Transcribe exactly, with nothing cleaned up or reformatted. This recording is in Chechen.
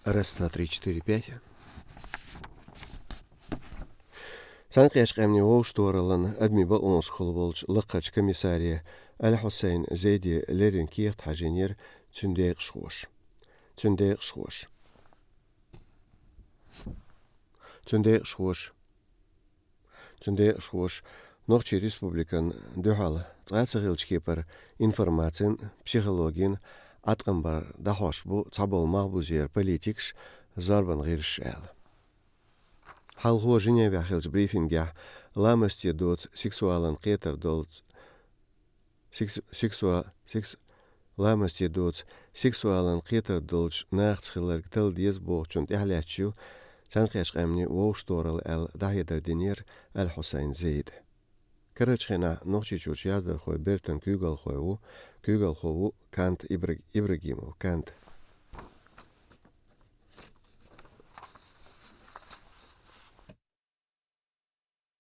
Раз, два, три, четыре, пять. Цхьаьнакхеттачу къаьмнийн вовшахтохараллан адамийн бакъонашкахула волчу лакхарчу комиссаре Аль-Хьусайн Зейде леррина кехат хьажийнера цуьнан декъашхоша. Цуьнан декъашхоша. Цуьнан декъашхоша. Цуьнан декъашхоша Нохчийн Республикана дуьхьал цкъа а ца хиллачу кепара информацин, психологин Ӏаткъам бар дӀахьош бу цхьаболу малхбузера политикаш, зорбан гӀирсаш аьлла. Хьалхо Женевехь хиллачу брифингехь ламасте доцу сексуалан кхетар долчу секс-, сексуа-, секс-, ламасте доцу сексуалан кхетар долчу нахаца хилларг талла деза бохучунна тӀаьхьалаьтташ ю Цхьаьнакхеттачу къаьмнийн вовшахтохаралла аьлла дӀахьедар динера Аль-Хьусайн Зейда. Карарчу хенахь Нохчийчуьрчу яздархойн бертан куьйгалхо ву, куьйгалхо ву Кант Ибра-, Ибрагимов Кант.